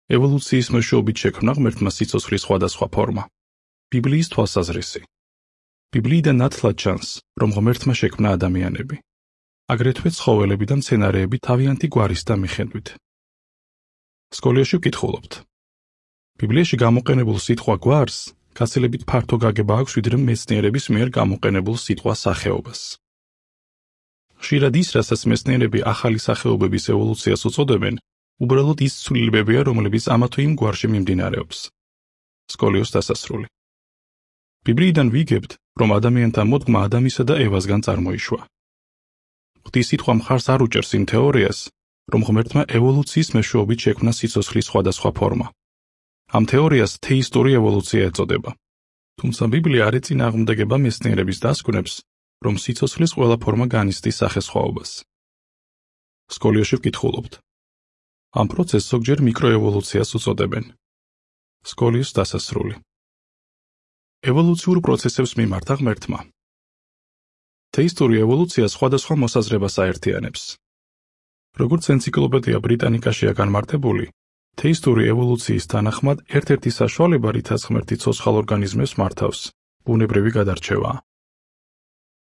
ევოლუციის მეშვეობით შექმნა ღმერთმა სიცოცხლის სხვადასხვა ფორმა. ბიბლიის თვალსაზრისი. ბიბლიიდან ნათლად ჩანს, რომ ღმერთმა შექმნა ადამიანები. აგრეთვე ცხოველები და მცენარეები თავიანთი გვარისთა მიხედვით. სკოლაში ვკითხულობთ. ბიბლიაში გამოყენებულ სიტყვა გვარს გაცილებით ფართო გაგება აქვს, ვიდრე მეცნიერების მიერ გამოყენებულ სიტყვა სახეობას. ხშირად ის, რასაც მეცნიერები ახალი სახეობების ევოლუციას უწოდებენ, უბრალოდ ის ცვლილებებია, რომლებიც ამა თუ იმ გვარში მიმდინარეობს. სკოლიოს დასასრული. ბიბლიიდან ვიგებთ, რომ ადამიანთა მოდგმა ადამისა და ევასგან წარმოიშვა. ღვთის სიტყვა მხარს არ უჭერს იმ თეორიას, რომ ღმერთმა ევოლუციის მეშვეობით შექმნა სიცოცხლის სხვადასხვა ფორმა. ამ თეორიას თეისტური ევოლუცია ეწოდება. თუმცა ბიბლია არ ეწინააღმდეგება მეცნიერების დასკვნებს, რომ სიცოცხლის ყველა ფორმა განიცდის სახესხვაობას. სკოლიოში ვკითხულობთ. ამ პროცესს ზოგჯერ მიკროევოლუციას უწოდებენ. სკოლიოს დასასრული. ევოლუციურ პროცესებს მიმართა ღმერთმა. თეისტური ევოლუცია სხვადასხვა მოსაზრებას აერთიანებს. როგორც ენციკლოპედია ბრიტანიკაშია განმარტებული, თეისტური ევოლუციის თანახმად ერთ-ერთი საშუალება, რითაც ღმერთი ცოცხალ ორგანიზმებს მართავს, ბუნებრივი გადარჩევაა.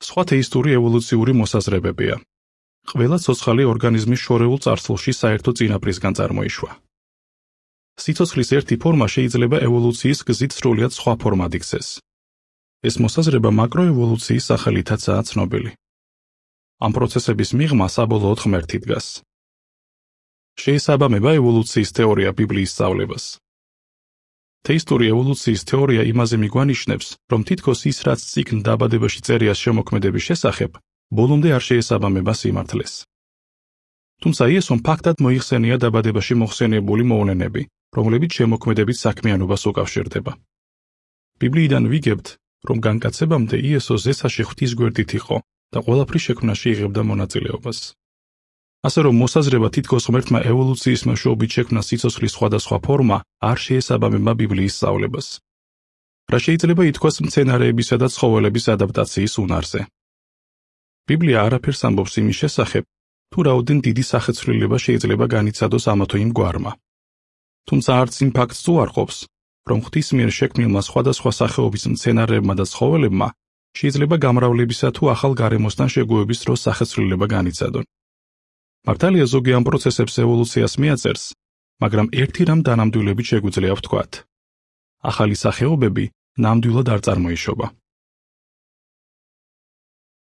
სხვა თეისტური ევოლუციური მოსაზრებებია. ყველა ცოცხალი ორგანიზმის შორეულ წარსულში საერთო წინაპრისგან წარმოიშვა. სიცოცხლის ერთი ფორმა შეიძლება ევოლუციის გზით სრულიად სხვა ფორმად იქცეს. ეს მოსაზრება მაკროევოლუციის სახელითაცაა ცნობილი. ამ პროცესების მიღმა საბოლოოდ ღმერთი დგას. შეესაბამება ევოლუციის თეორია ბიბლიის სწავლებას. თეისტური ევოლუციის თეორია იმაზე მიგვანიშნებს, რომ თითქოს ის, რაც წიგნ დაბადებაში წერია შემოქმედების შესახებ, ბოლომდე არ შეესაბამება სიმართლეს. თუმცა იესომ ფაქტად მოიხსენია დაბადებაში მოხსენიებული მოვლენები, რომლებიც შემოქმედებით საქმიანობას უკავშირდება. ბიბლიიდან ვიგებთ, რომ განკაცებამდე იესო ზესაში ღვთის გვერდით იყო და ყველაფრის შექმნაში იღებდა მონაწილეობას. ასე რომ მოსაზრება თითქოს ღმერთმა ევოლუციის მეშვეობით შექმნა სიცოცხლის სხვადასხვა ფორმა არ შეესაბამება ბიბლიის სწავლებას. რა შეიძლება ითქვას მცენარეებისა და ცხოველების ადაპტაციის უნარზე. ბიბლია არაფერს ამბობს იმის შესახებ, თუ რაოდენ დიდი სახეცვლილება შეიძლება განიცადოს ამა თუ იმ გვარმა. თუმცა არც იმ ფაქტს უარყოფს, რომ ღვთის მიერ შექმნილმა სხვადასხვა სახეობის მცენარეებმა და ცხოველებმა შეიძლება გამრავლებისა თუ ახალ გარემოსთან შეგუების დროს სახეცვლილება განიცადონ. მართალია ზოგი ამ პროცესებს ევოლუციას მიაწერს, მაგრამ ერთი რამ დანამდვილებით შეგვიძლია ვთქვათ. ახალი სახეობები ნამდვილად არ წარმოიშობა.